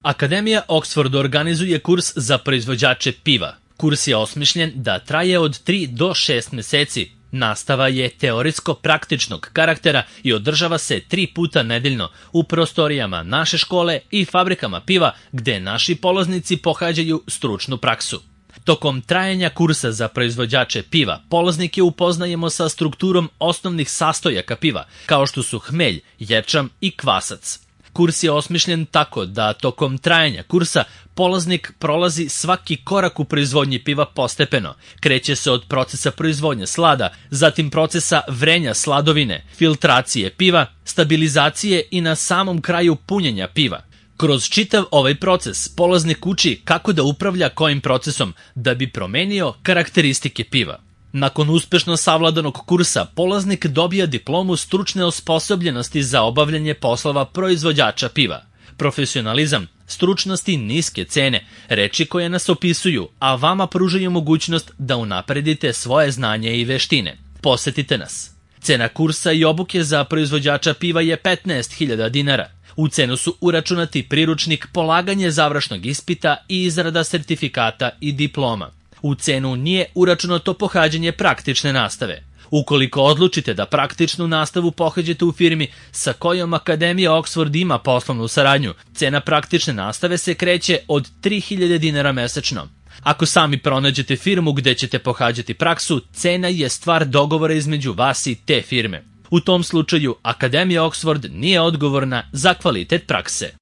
Akademija Oxford organizuje kurs za proizvođače piva. Kurs je osmišljen da traje od 3 do 6 meseci. Nastava je teoretsko-praktičnog karaktera i održava se 3 puta nedeljno u prostorijama naše škole i fabrikama piva gde naši polaznici pohađaju stručnu praksu. Tokom trajanja kursa za proizvođače piva, polaznike upoznajemo sa strukturom osnovnih sastojaka piva, kao što su hmelj, ječam i kvasac. Kurs je osmišljen tako da tokom trajanja kursa polaznik prolazi svaki korak u proizvodnji piva postepeno. Kreće se od procesa proizvodnje slada, zatim procesa vrenja sladovine, filtracije piva, stabilizacije i na samom kraju punjenja piva. Kroz čitav ovaj proces polaznik uči kako da upravlja kojim procesom da bi promenio karakteristike piva. Nakon uspešno savladanog kursa, polaznik dobija diplomu stručne osposobljenosti za obavljanje poslova proizvođača piva. Profesionalizam, stručnost i niske cene, reči koje nas opisuju, a vama pružaju mogućnost da unapredite svoje znanje i veštine. Posetite nas. Cena kursa i obuke za proizvođača piva je 15.000 dinara. U cenu su uračunati priručnik, polaganje završnog ispita i izrada sertifikata i diploma. U cenu nije uračunato pohađanje praktične nastave. Ukoliko odlučite da praktičnu nastavu pohađate u firmi sa kojom Akademija Oxford ima poslovnu saradnju, cena praktične nastave se kreće od 3.000 dinara mesečno. Ako sami pronađete firmu gde ćete pohađati praksu, cena je stvar dogovora između vas i te firme. U tom slučaju, Akademija Oxford nije odgovorna za kvalitet prakse.